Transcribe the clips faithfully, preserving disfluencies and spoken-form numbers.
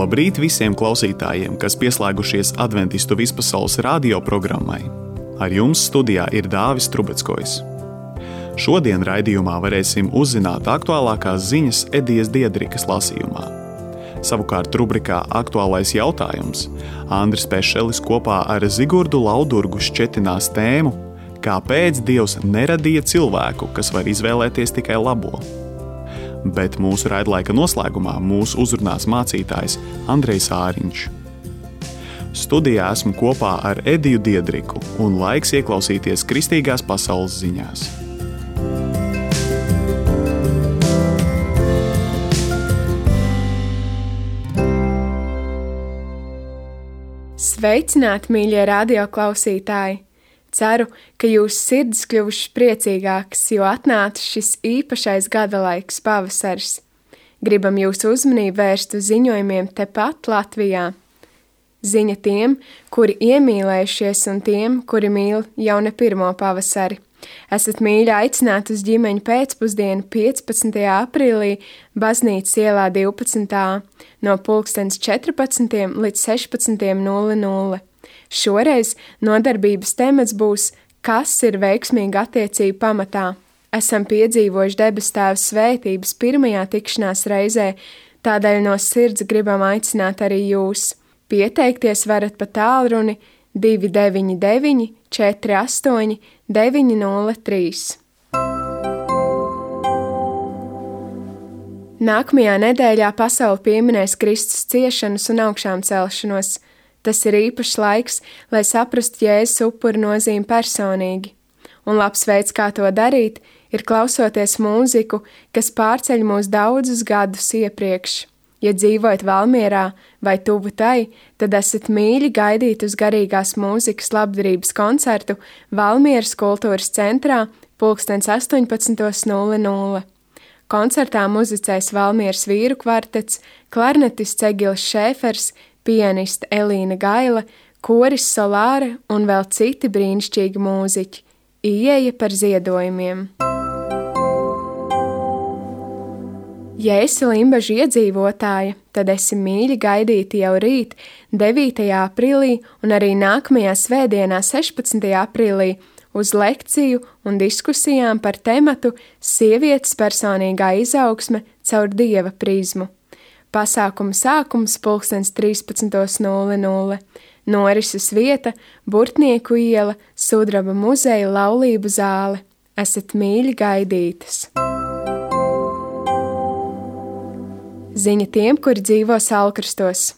Labrīt visiem klausītājiem, kas pieslēgušies Adventistu vispasaules radio programmai. Ar jums studijā ir Dāvis Trubeckojs. Šodien raidījumā varēsim uzzināt aktuālākās ziņas Edijas Diedrikas lasījumā. Savukārt rubrikā Aktuālais jautājums Andris Pešelis kopā ar Zigurdu Laudurgu šķetinās tēmu Kāpēc Dievs neradīja cilvēku, kas var izvēlēties tikai labo? Bet mūsu raidlaika noslēgumā mūs uzrunās mācītājs Andrejs Āriņš. Studijā esmu kopā ar Ediju Diedriku un laiks ieklausīties kristīgās pasaules ziņās. Sveicināti, mīļie radioklausītāji! Ceru, ka jūsu sirds kļuvušas priecīgākas, jo atnācis šis īpašais gada laiks pavasaris. Gribam jūsu uzmanību vērst uz ziņojumiem tepat Latvijā. Ziņa tiem, kuri iemīlējušies un tiem, kuri mīl jau ne pirmo pavasari. Esat mīļi aicināti uz ģimeņu pēcpusdienu piecpadsmitajā aprīlī Baznīcas ielā divpadsmit A no pulkstens četrpadsmitiem līdz sešpadsmitiem nulle nulle. Šoreiz nodarbības temats būs Kas ir veiksmīga attiecība pamatā? Esam piedzīvojuši debes Tēva svētības pirmajā tikšanās reizē, tādēļ no sirds gribam aicināt arī jūs. Pieteikties varat pa tālruni divi deviņi deviņi četri astoņi deviņi nulle trīs. Nākamajā nedēļā pasaule pieminēs Kristus ciešanas un augšām celšanos. Tas ir īpašs laiks, lai saprastu Jēzus upura nozīmi personīgi. Un labs veids, kā to darīt, ir klausoties mūziku, kas pārceļ mūs daudzus gadus iepriekš. Ja dzīvojat Valmierā vai tuvu tai, tad esat mīļi gaidīt uz garīgās mūzikas labdarības koncertu Valmieras kultūras centrā pulkstens astoņpadsmit nulle nulle. Koncertā muzicēs Valmieras vīru kvartets, klarnetists Egils Šēfers, pianiste Elīna Gaila, koris Solāre un vēl citi brīnišķīgi mūziķi. Ieeja par ziedojumiem. Ja esi Limbažu iedzīvotāja, tad esi mīļi gaidīti jau rīt, devītajā aprīlī un arī nākamajā svētdienā, sešpadsmitajā aprīlī, uz lekciju un diskusijām par tematu Sievietes personīgā izaugsme caur Dieva prizmu. Pasākuma sākums pulkstens trīspadsmit nulle nulle. Norises vieta Burtnieku iela, Sudraba muzeja laulību zāle. Esat mīļi gaidītas! Ziņa tiem, kuri dzīvo Salkrastos.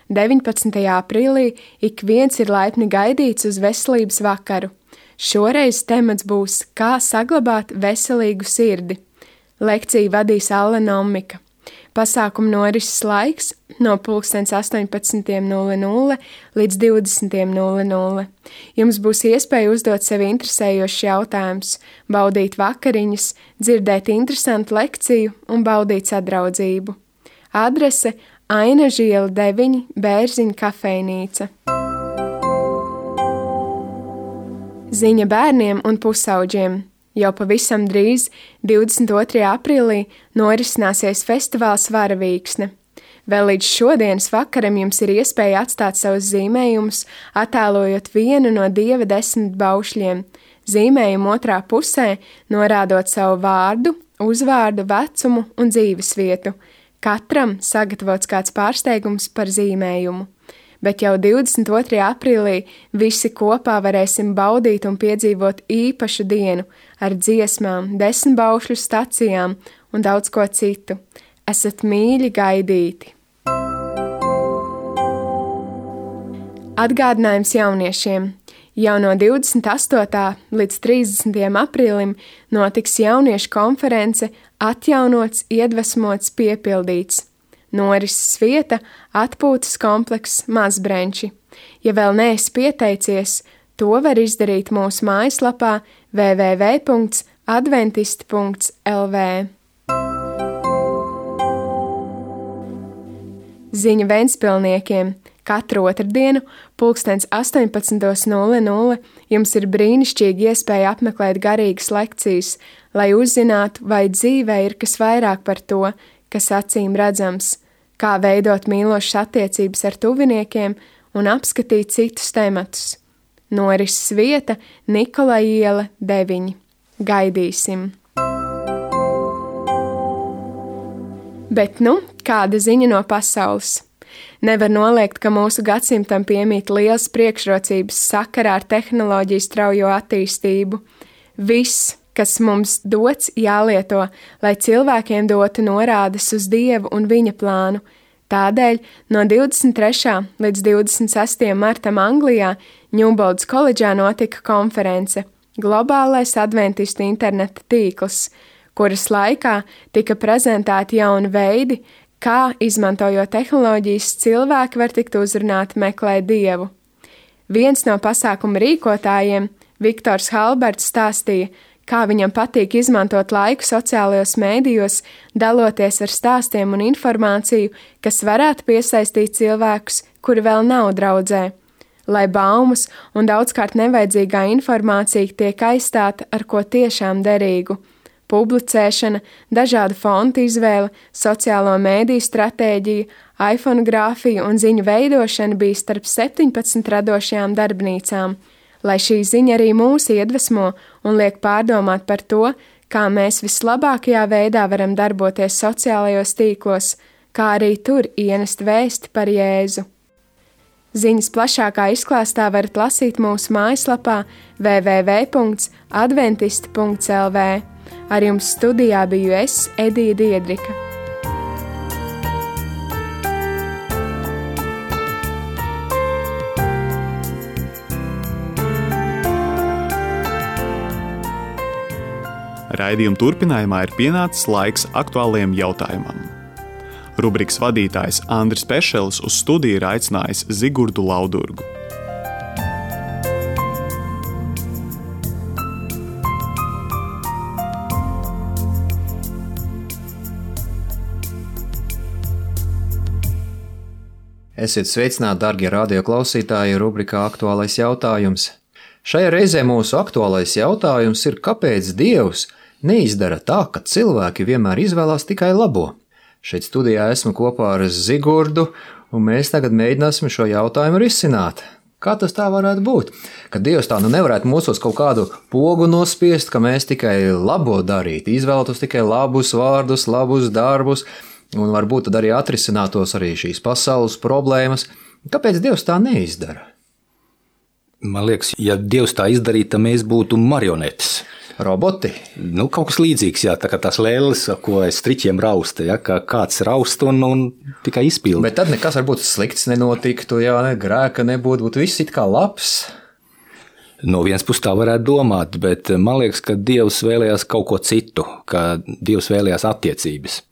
deviņpadsmitajā aprīlī ik viens ir laipni gaidīts uz veselības vakaru. Šoreiz temats būs Kā saglabāt veselīgu sirdi. Lekciju vadīs Alla Nomika. Pasākuma norises laiks no pulkstens astoņpadsmit nulle nulle līdz divdesmit nulle nulle. Jums būs iespēja uzdot sev interesējošs jautājums, baudīt vakariņas, dzirdēt interesantu lekciju un baudīt sadraudzību. Adrese Ainažu iela deviņi, Bērziņa kafejnīca. Ziņa bērniem un pusauģiem. Jau pavisam drīz, divdesmit otrajā aprīlī, norisināsies festivāls Varavīksne. Vēl līdz šodienas vakaram jums ir iespēja atstāt savus zīmējumus, attēlojot vienu no Dieva desmit baušļiem. Zīmējumu otrā pusē norādot savu vārdu, uzvārdu, vecumu un dzīvesvietu. Katram sagatavots kāds pārsteigums par zīmējumu. Bet jau divdesmit otrajā aprīlī visi kopā varēsim baudīt un piedzīvot īpašu dienu ar dziesmām, desmit baušļu stacijām un daudz ko citu. Esat mīļi gaidīti! Atgādinājums jauniešiem. Jau no divdesmit astotā līdz trīsdesmitajam aprīlim notiks jauniešu konference Atjaunots, iedvesmots, piepildīts. Norises vieta atpūtas komplekss Mazbrenči. Ja vēl neesi pieteicies, to var izdarīt mūsu mājaslapā w w w punkts adventisti punkts l v. Ziņa Ventspilniekiem. Katru otrdienu, pulkstens astoņpadsmit nulle nulle, jums ir brīnišķīgi iespēja apmeklēt garīgas lekcijas, lai uzzinātu, vai dzīvē ir kas vairāk par to, kas acīm redzams. kā veidot mīlošas attiecības ar tuviniekiem un apskatīt citus tematus. Norises vieta Nikolai iela deviņi. Gaidīsim! Bet nu, kāda ziņa no pasaules? Nevar noliegt, ka mūsu gadsimtam piemīt liels priekšrocības sakarā ar tehnoloģiju straujo attīstību. Viss, kas mums dots, jālieto, lai cilvēkiem dotu norādes uz Dievu un viņa plānu. Tādēļ no divdesmit trešā līdz divdesmit sestajam martam Anglijā Ņūboldas koledžā notika konference Globālais adventistu interneta tīkls, kuras laikā tika prezentēti jauni veidi, kā, izmantojot tehnoloģijas, cilvēki var tikt uzrunāti meklēt Dievu. Viens no pasākuma rīkotājiem, Viktors Halberts, stāstīja, kā viņam patīk izmantot laiku sociālajos mēdījos, daloties ar stāstiem un informāciju, kas varētu piesaistīt cilvēkus, kuri vēl nav draudzē, lai baumas un daudzkārt nevajadzīgā informācija tiek aizstāta ar ko tiešām derīgu. Publicēšana, dažādu fontu izvēle, sociālo mēdīju stratēģija, iPhonogrāfija un ziņu veidošana bija starp septiņpadsmit radošajām darbnīcām, lai šī ziņa arī mūs iedvesmo un liek pārdomāt par to, kā mēs vislabākajā veidā varam darboties sociālajos tīklos, kā arī tur ienest vēsti par Jēzu. Ziņas plašākā izklāstā varat lasīt mūsu mājaslapā w w w punkts adventisti punkts l v. Ar jums studijā biju es, Edija Diedrika. Raidījuma turpinājumā ir pienācis laiks aktuālajiem jautājumam. Rubrikas vadītājs Andris Pešels uz studiju ir aicinājis Zigurdu Laudurgu. Esiet sveicināti, darbie radioklausītāji, rubrikā Aktuālais jautājums. Šajā reizē mūsu aktuālais jautājums ir, kāpēc Dievs neizdara tā, ka cilvēki vienmēr izvēlās tikai labo? Šeit studijā esmu kopā ar Zigurdu, un mēs tagad mēģināsim šo jautājumu risināt. Kā tas tā varētu būt? Ka Dievs tā nu nevarētu mūsos kaut kādu pogu nospiest, ka mēs tikai labo darītu, izvēlētos tikai labus vārdus, labus darbus, un varbūt tad arī atrisinātos arī šīs pasaules problēmas. Kāpēc Dievs tā neizdara? Man liekas, ja Dievs tā izdarītu, tad mēs būtu marionetes. Roboti? Nu, kaut kas līdzīgs, jā, tā kā tās lēles, ko es striķiem rausta, jā, kā kāds raust un, un tikai izpilda. Bet tad nekas varbūt slikts nenotiktu, jā, ne, grēka nebūtu, būtu viss it kā labs. No vienas puses tā varētu domāt, bet man liekas, ka Dievs vēlējās kaut ko citu, ka Dievs vēlējās attiecības.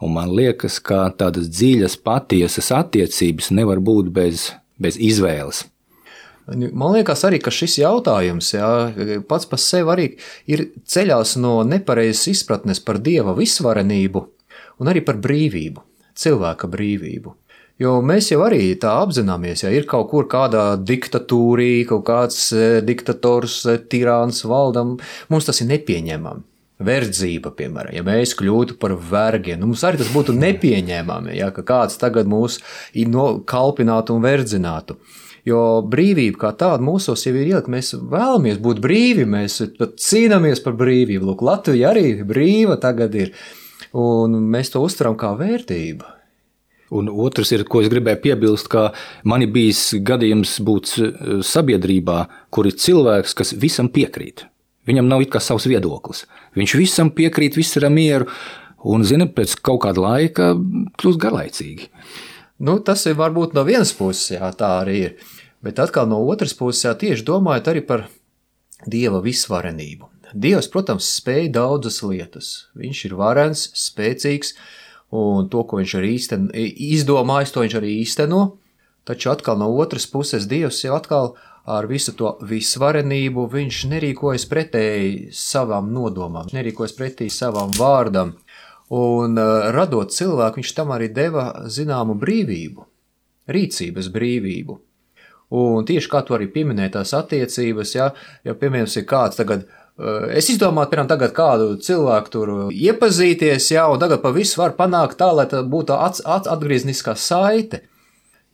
Un man liekas, ka tādas dziļas, patiesas attiecības nevar būt bez, bez izvēles. Man liekas arī, ka šis jautājums, jā, pats par sevi arī ir ceļās no nepareizas izpratnes par Dieva visvarenību un arī par brīvību, cilvēka brīvību. Jo mēs jau arī tā apzināmies, ja ir kaut kur kādā diktatūrī, kaut kāds diktators, tirāns valdam, mums tas ir nepieņemami. Verdzība, piemēram, ja mēs kļūtu par vergiem, nu mums arī tas būtu nepieņēmami, ja, ka kāds tagad mūs kalpinātu un verdzinātu. Jo brīvība kā tāda mūsos jau ir ielikt, mēs vēlamies būt brīvi, mēs cīnāmies par brīvību. Lūk, Latvija arī brīva tagad ir, un mēs to uztveram kā vērtību. Un otrs ir, ko es gribēju piebilst, ka man ir bijis gadījums būt sabiedrībā, kur ir cilvēks, kas visam piekrīt. Viņam nav it kā savs viedoklis. Viņš visam piekrīt, viss ir ar mieru, un, zina, pēc kaut kāda laika kļūst garlaicīgi. Nu, tas ir varbūt no vienas puses, jā, tā arī ir. Bet atkal no otras puses, jā, tieši domājot arī par Dieva visvarenību. Dievs, protams, spēj daudzas lietas. Viņš ir varens, spēcīgs, un to, ko viņš arī īsten, izdomājis, to viņš arī īsteno. Taču atkal no otras puses Dievs jau atkal ar visu to visvarenību viņš nerīkojas pretēji savām nodomām, nerīkojas pretēji savam vārdam. Un radot cilvēku, viņš tam arī deva zināmu brīvību, rīcības brīvību. Un tieši kā tu arī pieminēji tās attiecības, ja, ja piemēram ir kāds tagad Es izdomātu, piemēram, tagad kādu cilvēku tur iepazīties, jā, un tagad pa visu var panākt tā, lai tā būtu at, at, atgriezniskā saite.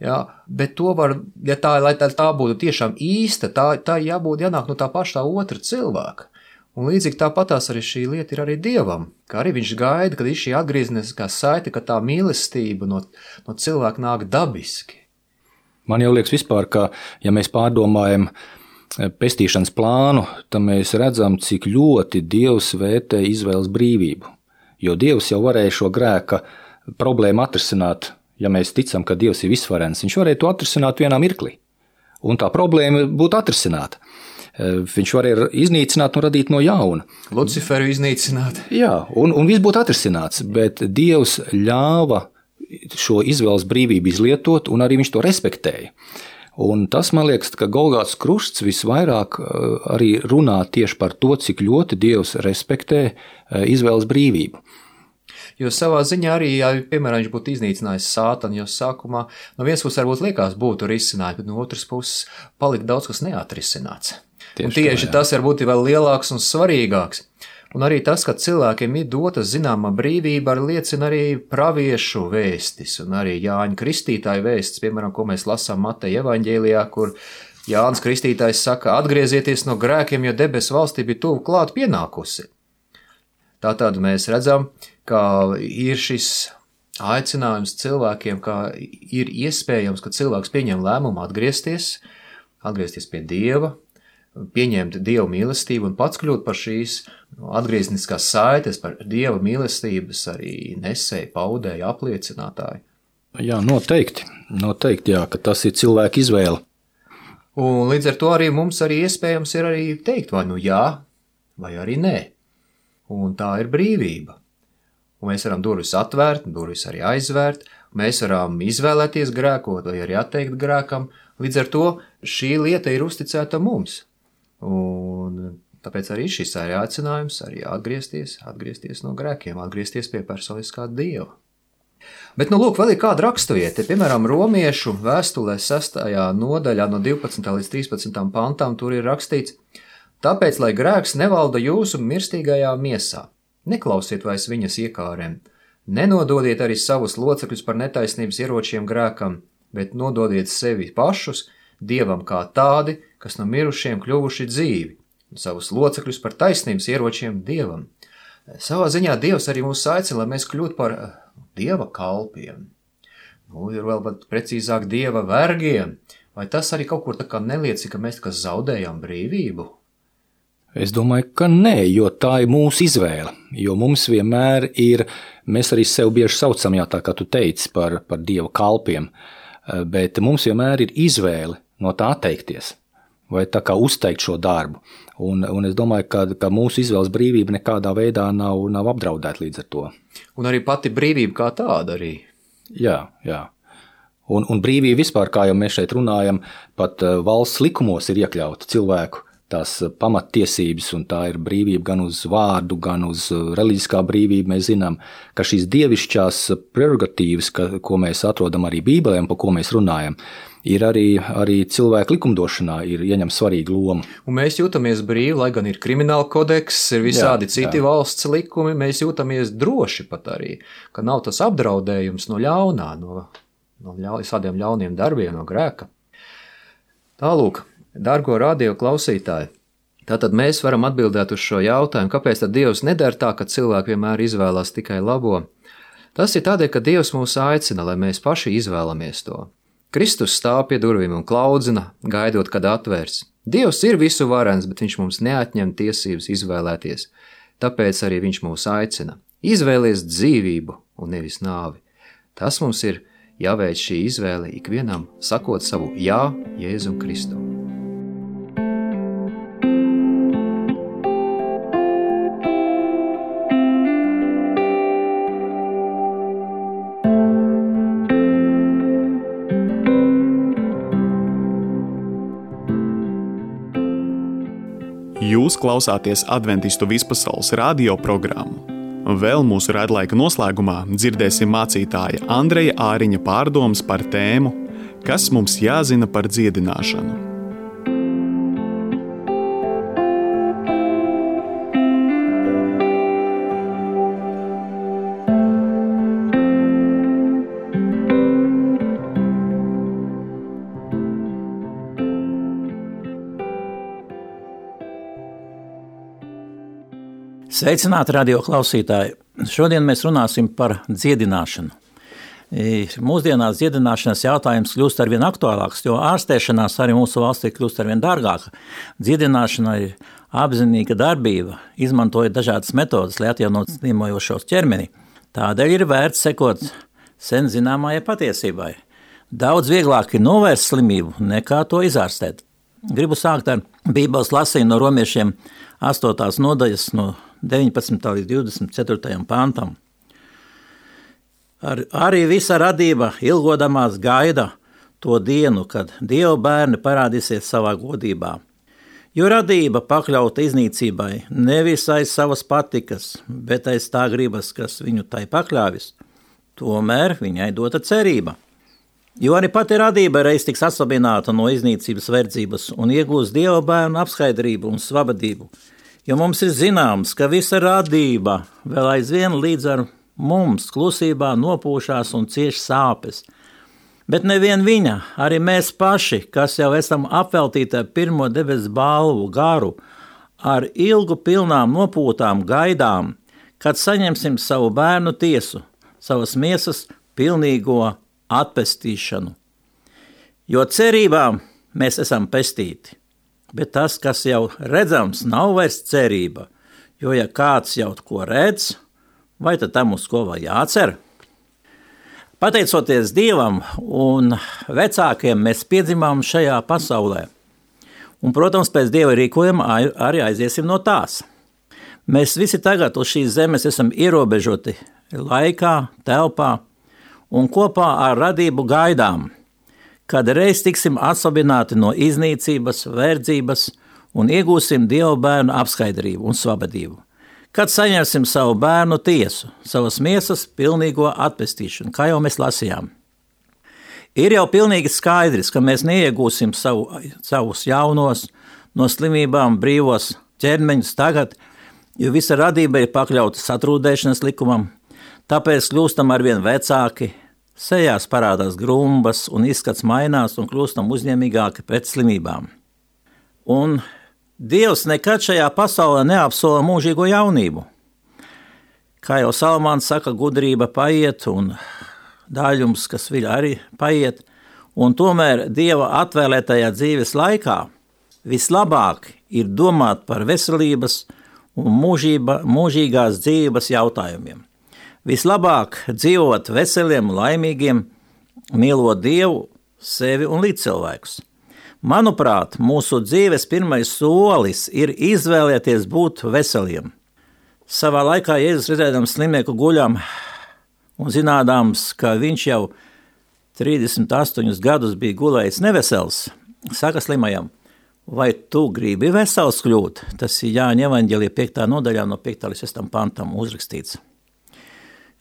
Jā, bet to var, ja tā, lai tā, tā būtu tiešām īsta, tā, tā jābūt jānāk no tā paša tā otra cilvēka. Un līdzīgi tāpatās arī šī lieta ir arī Dievam, ka arī viņš gaida, kad ir šī atgriezniskā saite, ka tā mīlestība no, no cilvēka nāk dabiski. Man jau liekas vispār, ka ja mēs pārdomājam pestīšanas plānu, tad mēs redzam, cik ļoti Dievs vērtē izvēles brīvību. Jo Dievs jau varēja šo grēka problēmu atrisināt, ja mēs ticam, ka Dievs ir visvarens. Viņš varēja to atrisināt vienā mirklī, un tā problēma būtu atrisināta. Viņš varēja iznīcināt un radīt no jauna. Luciferu iznīcināt. Jā, un, un viss būtu atrisināts, bet Dievs ļāva šo izvēles brīvību izlietot, un arī viņš to respektēja. Un tas, man liekas, ka Golgātas krusts visvairāk arī runā tieši par to, cik ļoti Dievs respektē izvēles brīvību. Jo savā ziņā arī, ja, piemēram, viņš būtu iznīcinājis Sātanu, jo sākumā no vienas puses varbūt liekas būtu risinājumi, bet no otras puses palika daudz, kas neatrisināts. Tieši, un tieši tā, tas varbūt ir vēl lielāks un svarīgāks. Un arī tas, ka cilvēkiem ir dota zināma brīvība, arī liecina arī praviešu vēstis un arī Jāņa Kristītāja vēstis, piemēram, ko mēs lasām Mateja evaņģēlijā, kur Jānis Kristītājs saka, atgriezieties no grēkiem, jo debesu valstība ir tuvu klāt pienākusi. Tātad mēs redzam, ka ir šis aicinājums cilvēkiem, ka ir iespējams, ka cilvēks pieņem lēmumu atgriezties, atgriezties pie Dieva, pieņemt Dieva mīlestību un pats kļūt par šīs atgriezniskās saites, par Dieva mīlestības arī nesēju, paudēju, apliecinātāju. Jā, noteikti, noteikti, jā, ka tas ir cilvēka izvēle. Un līdz ar to arī mums arī iespējams ir arī teikt vai nu jā, vai arī nē. Un tā ir brīvība. Un mēs varam durvis atvērt, durvis arī aizvērt, mēs varam izvēlēties grēkot vai arī atteikt grēkam. Līdz ar to šī lieta ir uzticēta mums. Un tāpēc arī šis ir aicinājums arī atgriezties, atgriezties no grēkiem, atgriezties pie personiskā Dieva. Bet, nu, lūk, vēl ir kāda raksturvieta, piemēram, Romiešu vēstulē sestajā nodaļā no divpadsmitā līdz trīspadsmitajam pantām tur ir rakstīts: tāpēc, lai grēks nevalda jūsu mirstīgajā miesā, neklausiet vairs viņas iekārēm, nenododiet arī savus locekļus par netaisnības ieročiem grēkam, bet nododiet sevi pašus Dievam kā tādi, kas no mirušiem kļuvuši dzīvi, un savus locekļus par taisnības ieročiem Dievam. Savā ziņā Dievs arī mūs aicina, lai mēs kļūtu par Dieva kalpiem. Nu, ir vēl pat precīzāk Dieva vergiem. Vai tas arī kaut kur tā kā neliecina, ka mēs tā kā zaudējam brīvību? Es domāju, ka nē, jo tā ir mūsu izvēle, jo mums vienmēr ir, mēs arī sev bieži saucam, jā, tā kā tu teici, par, par Dieva kalpiem, bet mums vienmēr ir izvēle no tā atteikties, vai tā kā uzteikt šo darbu, un, un es domāju, ka, ka mūsu izvēles brīvība nekādā veidā nav, nav apdraudēta līdz ar to. Un arī pati brīvība kā tāda arī. Jā, jā. Un, un brīvība vispār, kā jau mēs šeit runājam, pat valsts likumos ir iekļauta cilvēku tās pamattiesības, un tā ir brīvība gan uz vārdu, gan uz reliģiskā brīvība. Mēs zinām, ka šīs dievišķās prerogatīvas, ka, ko mēs atrodam arī Bībelē un par ko mēs runājam, ir arī, arī cilvēku likumdošanā ir ieņem svarīgu lomu. Un mēs jūtamies brīvi, lai gan ir krimināla kodeks, ir visādi jā, citi jā. valsts likumi, mēs jūtamies droši pat arī, ka nav tas apdraudējums no ļaunā, no, no ļau, visādiem ļauniem darbiem, no grēka. Tālūk, dargo radio klausītāji, tātad mēs varam atbildēt uz šo jautājumu, kāpēc tad Dievs nedara tā, ka cilvēki vienmēr izvēlās tikai labo. Tas ir tādēļ, ka Dievs mūs aicina, lai mēs paši izvēlamies to. Kristus stāv pie durvīm un klaudzina, gaidot, kad atvērs. Dievs ir visu varens, bet viņš mums neatņem tiesības izvēlēties. Tāpēc arī viņš mūs aicina. Izvēlies dzīvību un nevis nāvi. Tas mums ir jāveic šī izvēle ikvienam, sakot savu jā Jēzum Kristum. Jūs klausāties Adventistu vispasaules radio programmu. Vēl mūsu raidlaika noslēgumā dzirdēsim mācītāja Andreja Āriņa pārdomas par tēmu, kas mums jāzina par dziedināšanu. Sveicināti radio klausītāji! Šodien mēs runāsim par dziedināšanu. Mūsdienās dziedināšanas jautājums kļūst arvien aktuālāks, jo ārstēšanās arī mūsu valstī kļūst arvien dārgāka. Dziedināšana ir apzinīga darbība, izmantojot dažādas metodas, lai atjaunotu slimojošos ķermeni. Tādēļ ir vērts sekot sen zināmajai patiesībai. Daudz vieglāk ir novērst slimību, nekā to izārstēt. Gribu sākt ar Bībeles lasījumu no romiešiem astotās nodaļas no deviņpadsmitā līdz divdesmit ceturtajam pantam. Ar, arī visa radība ilgodamās gaida to dienu, kad Dieva bērni parādīsies savā godībā. Jo radība pakļauta iznīcībai nevis aiz savas patikas, bet aiz tā gribas, kas viņu tai pakļāvis. Tomēr viņai dota cerība. Jo arī pati radība reiz tiks atslabināta no iznīcības verdzības un iegūs Dieva bērnu apskaidrību un svabadību. Jo mums ir zināms, ka visa radība vēl aizvien līdz ar mums klusībā nopūšās un cieš sāpes. Bet nevien viņa, arī mēs paši, kas jau esam apveltīti ar pirmo debesu balvu garu, ar ilgu pilnām nopūtām gaidām, kad saņemsim savu bērnu tiesu, savas miesas pilnīgo atpestīšanu. Jo cerībā mēs esam pestīti, bet tas, kas jau redzams, nav vairs cerība, jo ja kāds jau ko redz, vai tad tam uz ko vēl jācer? Pateicoties Dievam un vecākiem, mēs piedzimām šajā pasaulē. Un, protams, pēc Dieva rīkojuma arī aiziesim no tās. Mēs visi tagad uz šīs zemes esam ierobežoti laikā, telpā un kopā ar radību gaidām, kad reiz tiksim atslabināti no iznīcības, verdzības un iegūsim Dieva bērnu apskaidrību un svabadību. Kad saņemsim savu bērnu tiesu, savas miesas pilnīgo atpestīšanu, kā jau mēs lasījām. Ir jau pilnīgi skaidrs, ka mēs neiegūsim savu, savus jaunos, no slimībām brīvos ķermeņus tagad, jo visa radība ir pakļauta satrūdēšanas likumam, tāpēc kļūstam arvien vecāki, sejās parādās grumbas un izskats mainās un kļūstam uzņēmīgāki pret slimībām. Un Dievs nekad šajā pasaulē neapsola mūžīgo jaunību. Kā jau Salmāns saka, gudrība paiet un daļums, kas viļ arī paiet, un tomēr Dieva atvēlētajā dzīves laikā vislabāk ir domāt par veselības un mūžība, mūžīgās dzīves jautājumiem. Vislabāk dzīvot veseliem, laimīgiem, mīlot Dievu, sevi un līdzcilvēkus. Manuprāt, mūsu dzīves pirmais solis ir izvēlēties būt veseliem. Savā laikā Jēzus redzēdams slimnieku guļam un zinādams, ka viņš jau trīsdesmit astoņus gadus bija gulējis nevesels, saka slimajam, vai tu gribi vesels kļūt? Tas ir Jāņa evaņģēlija piektā nodaļā no piektā līdz sestam pantam uzrakstīts.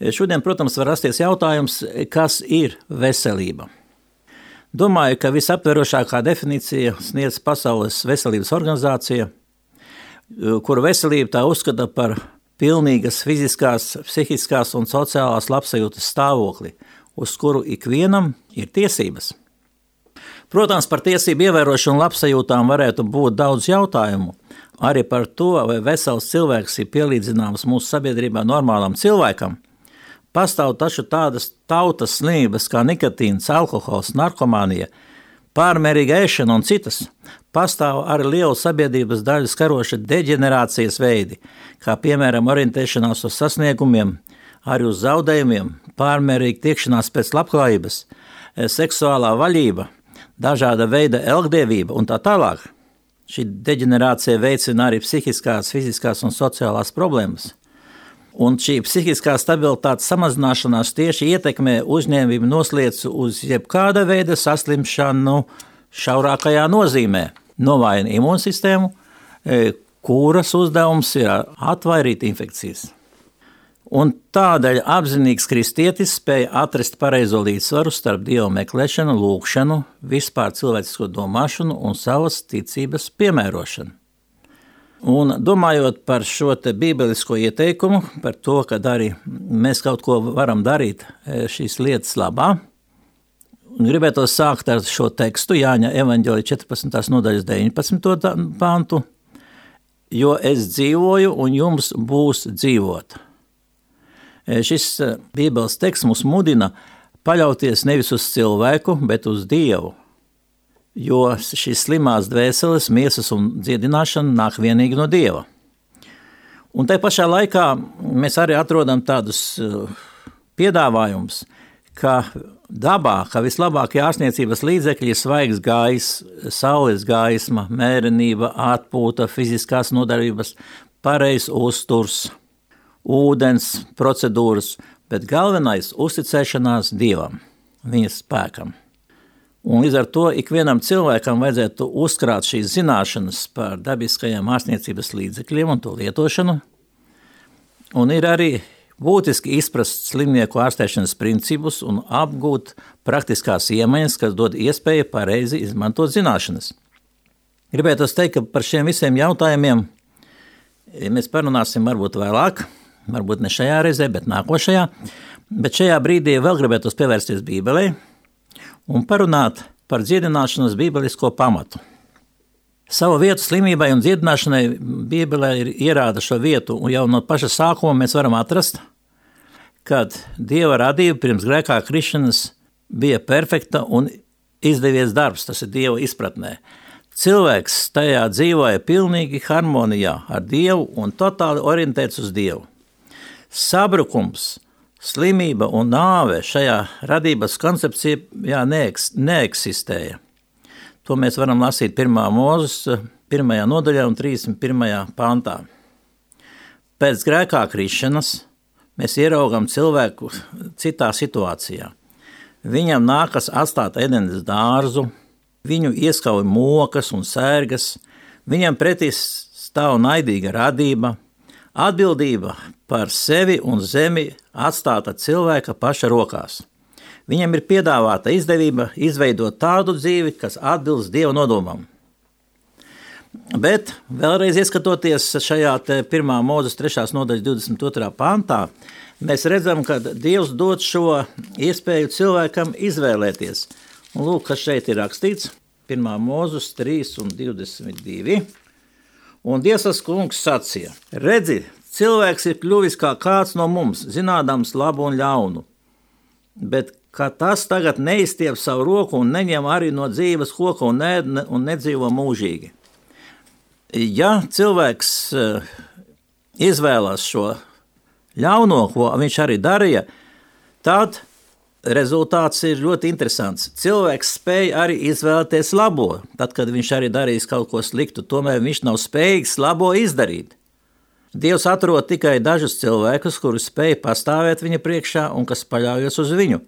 Šodien, protams, var rasties jautājums, kas ir veselība. Domāju, ka visaptverošākā definīcija sniedz Pasaules veselības organizācija, kura veselība tā uzskata par pilnīgas fiziskās, psihiskās un sociālās labsajūtas stāvokli, uz kuru ikvienam ir tiesības. Protams, par tiesību ievērošanu un labsajūtām varētu būt daudz jautājumu, arī par to, vai vesels cilvēks ir pielīdzināms mūsu sabiedrībā normālam cilvēkam. Pastāv taču tādas tautas slimības kā nikotīns, alkohols, narkomānija, pārmērīga ēšana un citas. Pastāv arī liela sabiedrības daļu skaroša deģenerācijas veidi, kā piemēram orientēšanās uz sasniegumiem, arī uz zaudējumiem, pārmērīga tiekšanās pēc labklājības, seksuālā vaļība, dažāda veida elgdevība un tā tālāk. Šī deģenerācija veicina arī psihiskās, fiziskās un sociālās problēmas. Un šī psihiskā stabilitātes samazināšanās tieši ietekmē uzņēmību nosliecu uz jebkāda veida saslimšanu šaurākajā nozīmē. Novājina imūnsistēmu, kuras uzdevums ir atvairīt infekcijas. Un tādēļ apzinīgs kristietis spēja atrast pareizo līdzsvaru starp Dieva meklēšanu, lūgšanu, vispār cilvēcisko domāšanu un savas ticības piemērošanu. Un domājot par šo te bībelisko ieteikumu, par to, ka arī mēs kaut ko varam darīt šīs lietas labā, gribētu sākt ar šo tekstu Jāņa evaņģēlija četrpadsmitās nodaļas deviņpadsmito pantu, jo es dzīvoju un jums būs dzīvot. Šis Bībeles teksts mūs mudina paļauties nevis uz cilvēku, bet uz Dievu, jo šīs slimās dvēseles, miesas un dziedināšana nāk vienīgi no Dieva. Un tai pašā laikā mēs arī atrodam tādus piedāvājumus, ka dabā, ka vislabākie ārstniecības līdzekļi ir svaigs gaiss, saules gaisma, mērenība, atpūta, fiziskās nodarbības, pareizs uzturs, ūdens procedūras, bet galvenais uzticēšanās Dievam, viņa spēkam. Un līdz ar to ikvienam cilvēkam vajadzētu uzkrāt šīs zināšanas par dabiskajiem ārstniecības līdzekļiem un to lietošanu. Un ir arī būtiski izprast slimnieku ārstēšanas principus un apgūt praktiskās iemaņas, kas dod iespēju pareizi izmantot zināšanas. Gribētu teikt, ka par šiem visiem jautājumiem mēs parunāsim varbūt vēlāk, varbūt ne šajā reizē, bet nākošajā. Bet šajā brīdī vēl gribētu pievērsties Bībelei un parunāt par dziedināšanas bībelisko pamatu. Savu vietu slimībai un dziedināšanai Bībelē ir ierāda šo vietu, un jau no paša sākuma mēs varam atrast, kad Dieva radība pirms grēkā krišanas bija perfekta un izdevies darbs, tas ir Dieva izpratnē. Cilvēks tajā dzīvoja pilnīgi harmonijā ar Dievu un totāli orientēts uz Dievu. Sabrukums, slimība un nāve šajā radības koncepcijā neeks, neeksistēja. To mēs varam lasīt pirmā Mūzes pirmajā nodaļā un trīsdesmit pirmajā pantā. Pēc grēkā krišanas mēs ieraugam cilvēku citā situācijā. Viņam nākas atstāt Edenes dārzu, viņu ieskauj mokas un sērgas, viņam pretī stāv naidīga radība, atbildība par sevi un zemi atstāta cilvēka paša rokās. Viņam ir piedāvāta izdevība izveidot tādu dzīvi, kas atbilst Dieva nodomam. Bet vēlreiz ieskatoties šajā te pirmā Mūzes trešās nodaļas divdesmit otrā pantā, mēs redzam, ka Dievs dod šo iespēju cilvēkam izvēlēties. Un lūk, kas šeit ir rakstīts, pirmā Mūzes trīs un divdesmit divi. Un Dievs kungs sacīja: redzi, cilvēks ir kļuvis kā kāds no mums, zinādams labu un ļaunu, bet ka tas tagad neizstiep savu roku un neņem arī no dzīves koka un, ne, un nedzīvo mūžīgi. Ja cilvēks izvēlās šo ļauno, ko viņš arī darīja, tad rezultāts ir ļoti interesants. Cilvēks spēja arī izvēlēties labo, tad, kad viņš arī darīs kaut ko sliktu, tomēr viņš nav spējīgs labo izdarīt. Dievs atrod tikai dažus cilvēkus, kuri spēja pastāvēt viņa priekšā un kas paļaujas uz viņu.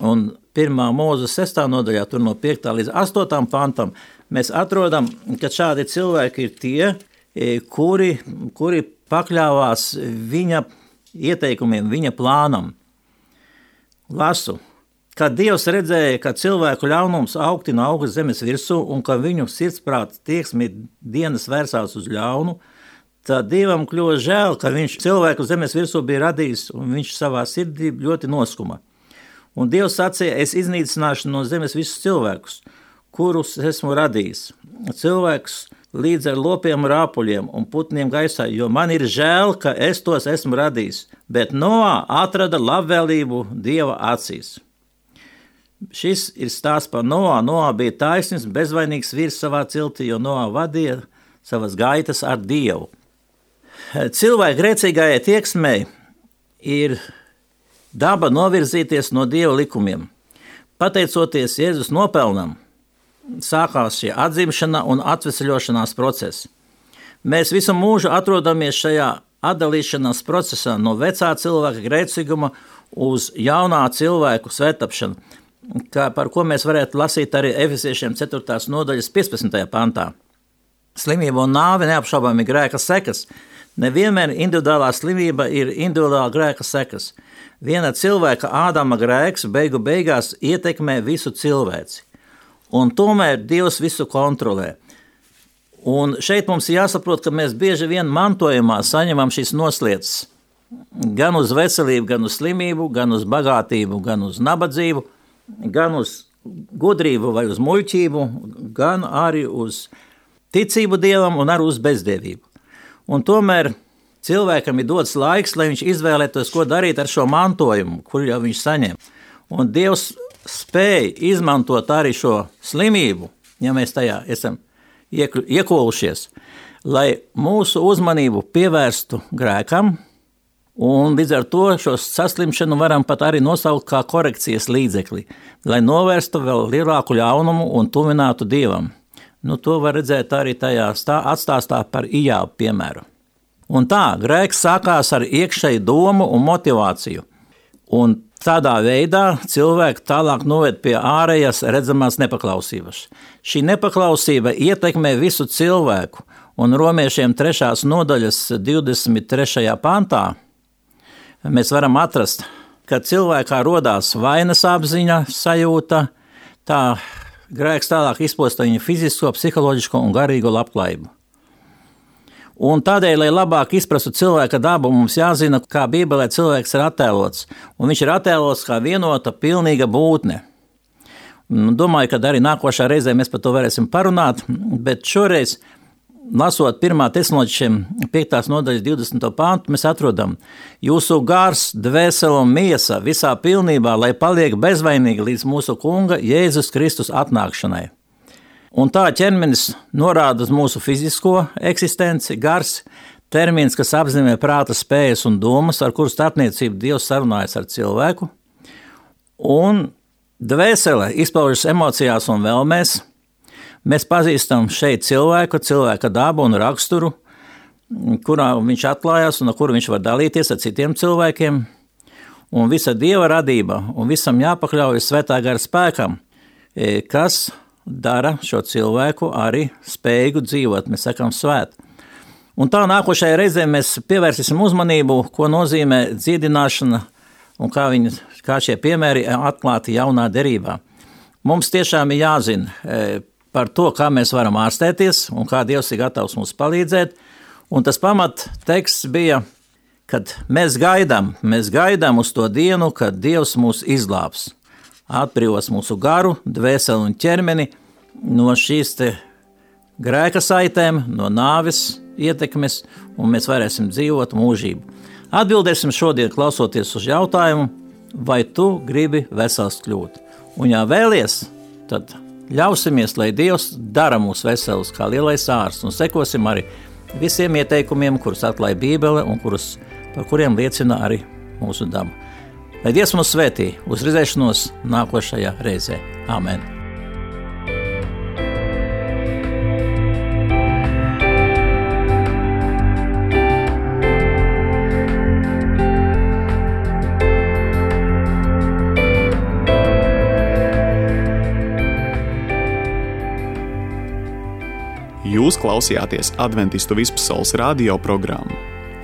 Un pirmā Mūzes sestā nodaļā, tur no piektā līdz astotam pantam, mēs atrodam, ka šādi cilvēki ir tie, kuri, kuri pakļāvās viņa ieteikumiem, viņa plānam. Lasu, kad Dievs redzēja, ka cilvēku ļaunums augtina augst zemes virsū un ka viņu sirdsprāta tieksmi dienas vērsās uz ļaunu, tad Dievam kļuva žēl, ka viņš cilvēku zemes virsū bija radījis un viņš savā sirdī ļoti noskuma. Un Dievs sacīja: es iznīcināšu no zemes visus cilvēkus, kurus esmu radījis. Cilvēks līdz ar lopiem rāpuļiem un putniem gaisā, jo man ir žēl, ka es tos esmu radījis. Bet Noā atrada labvēlību Dieva acīs. Šis ir stāsts par Noā. Noā bija taisnīgs, bezvainīgs vīrs savā ciltī, jo Noā vadīja savas gaitas ar Dievu. Cilvēka grēcīgajai tieksmei ir daba novirzīties no Dieva likumiem. Pateicoties Jēzus nopelnam, sākās šī atzimšana un atvesaļošanās process. Mēs visu mūžu atrodamies šajā atdalīšanās procesā no vecā cilvēka grēcīguma uz jaunā cilvēku svētapšanu, kā, par ko mēs varētu lasīt arī Efesiešiem ceturtās nodaļas piecpadsmitajā pantā. Slimība un nāve neapšaubāmi grēka sekas. Nevienmēr individuālā slimība ir individuālā grēka sekas. Viena cilvēka Ādama grēks beigu beigās ietekmē visu cilvēci. Un tomēr Dievs visu kontrolē. Un šeit mums jāsaprot, ka mēs bieži vien mantojumā saņemam šīs noslietas. Gan uz veselību, gan uz slimību, gan uz bagātību, gan uz nabadzību, gan uz gudrību vai uz muļķību, gan arī uz ticību Dievam un arī uz bezdievību. Un tomēr cilvēkam ir dots laiks, lai viņš izvēlētos, ko darīt ar šo mantojumu, kur jau viņš saņem. Un Dievs spēja izmantot arī šo slimību, ja mēs tajā esam iekolušies, lai mūsu uzmanību pievērstu grēkam, un līdz ar to šo saslimšanu varam pat arī nosaukt kā korekcijas līdzekli, lai novērstu vēl lielāku ļaunumu un tuvinātu Dievam. Nu, to var redzēt arī tajā stā, atstāstā par Ijābu piemēru. Un tā, grēks sākās ar iekšēju domu un motivāciju. Un tādā veidā cilvēku tālāk noved pie ārējas redzamās nepaklausības. Šī nepaklausība ietekmē visu cilvēku, un romiešiem trešās nodaļas divdesmit trešajā pantā mēs varam atrast, ka cilvēkā rodās vainas apziņa, sajūta, tā grēks tālāk izposta viņa fizisko, psiholoģisko un garīgo labklājību. Un tādēļ, lai labāk izprastu cilvēka dabu, mums jāzina, kā Bībelē cilvēks ir attēlots. Un viņš ir attēlots kā vienota, pilnīga būtne. Domāju, ka arī nākošā reizē mēs par to varēsim parunāt, bet šoreiz, lasot pirmā Tesaloniķiešiem piektās nodaļas divdesmito pāntu, mēs atrodam: jūsu gars, dvēsele un miesa visā pilnībā, lai paliek bezvainīgi līdz mūsu Kunga Jēzus Kristus atnākšanai. Un tā ķermenis norāda uz mūsu fizisko eksistenci, gars, termins, kas apzīmē prāta spējas un domas, ar kuru starpniecību Dievs sarunājas ar cilvēku. Un dvēsele izpaužas emocijās un vēlmēs. Mēs pazīstam šeit cilvēku, cilvēka dabu un raksturu, kurā viņš atklājās un ar kuru viņš var dalīties ar citiem cilvēkiem. Un visa Dieva radība un visam jāpakļaujas svētā gara spēkam, kas dara šo cilvēku arī spējīgu dzīvot, mēs sakām svēt. Un tā nākošajā reizē mēs pievērsīsim uzmanību, ko nozīmē dziedināšana un kā, viņi, kā šie piemēri atklāti jaunā derībā. Mums tiešām ir jāzina par to, kā mēs varam ārstēties un kā Dievs ir gatavs mums palīdzēt. Un tas pamat teksts bija, kad mēs gaidām, mēs gaidām uz to dienu, kad Dievs mūs izglābs. Atbrīvos mūsu garu, dvēseli un ķermeni no šīs te grēka saitēm, no nāves ietekmes, un mēs varēsim dzīvot mūžību. Atbildēsim šodien, klausoties uz jautājumu, vai tu gribi vesels kļūt. Un ja vēlies, tad ļausimies, lai Dievs dara mūs veselus kā lielais ārsts, un sekosim arī visiem ieteikumiem, kurus atklāja Bībele un kurus, par kuriem liecina arī mūsu daba. Lai Dievs mūs svētī, uz redzēšanos nākošajā reizē. Āmen. Jūs klausījāties Adventistu vispasaules radio programmu.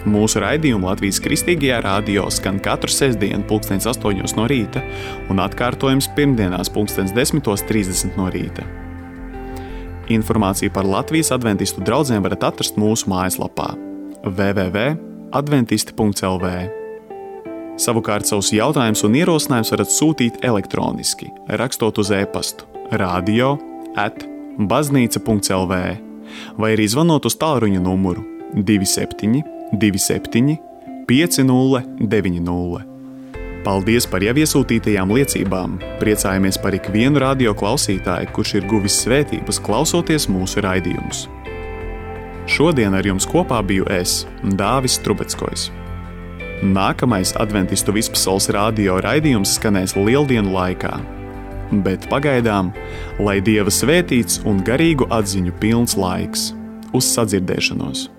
Mūsu raidījumu Latvijas Kristīgajā radio skan katru sestdienu pulkstens astoņos no rīta un atkārtojums pirmdienās pulkstens desmitos trīsdesmit no rīta. Informāciju par Latvijas adventistu draudzēm varat atrast mūsu mājaslapā w w w punkt adventisti punkt l v. Savukārt savus jautājumus un ierosinājumus varat sūtīt elektroniski, rakstot uz e-pastu radio at baznīca punkt l v vai arī zvanot uz tālruņa numuru divi septiņi divi septiņi pieci nulle deviņi nulle. Paldies par jau iesūtītajām liecībām. Priecājamies par ikvienu radio klausītāju, kurš ir guvis svētības klausoties mūsu raidījumus. Šodien ar jums kopā biju es, Dāvis Trubeckojs. Nākamais Adventistu vispasaules radio raidījums skanēs Lieldienu laikā. Bet pagaidām, lai Dieva svētīts un garīgu atziņu pilns laiks. Uz sadzirdēšanos!